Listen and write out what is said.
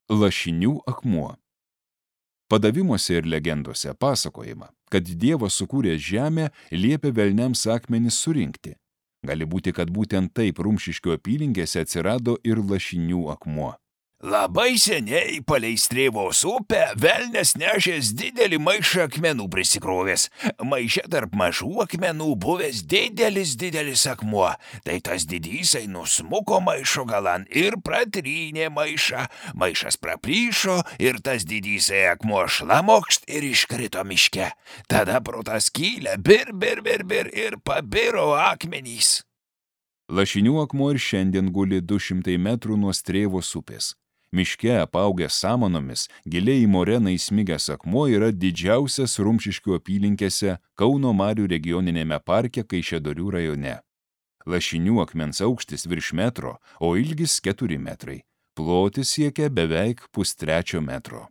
Lašinių akmuo. Padavimuose ir legendose pasakojama, kad Dievas sukūręs žemę liepė velniams akmenis surinkti. Gali būti, kad būtent taip Rumšiškių apylinkėse atsirado ir Lašinių akmuo. Labai seniai palei Strėvos upę velnias nešęs didelį maišą akmenų prisikrovęs. Maiše tarp mažų akmenų buvęs didelis akmuo. Tai tas didysai nusmuko maišo galan ir pratrynė maišą. Maišas praplyšo ir tas didysai akmuo šlamokšt ir iškrito miške. Tada pro tą skylę bir ir pabiro akmenys. Lašinių akmuo ir šiandien guli 200 metrų nuo Strėvos upės. Miške apaugęs samanomis, giliai į moreną įsmigęs akmuo yra didžiausias Rumšiškių apylinkėse Kauno Marių regioninėme parke Kaišiadorių rajone. Lašinių akmens aukštis virš metro, o ilgis 4 metrai. Plotis siekia beveik 1,5 metro.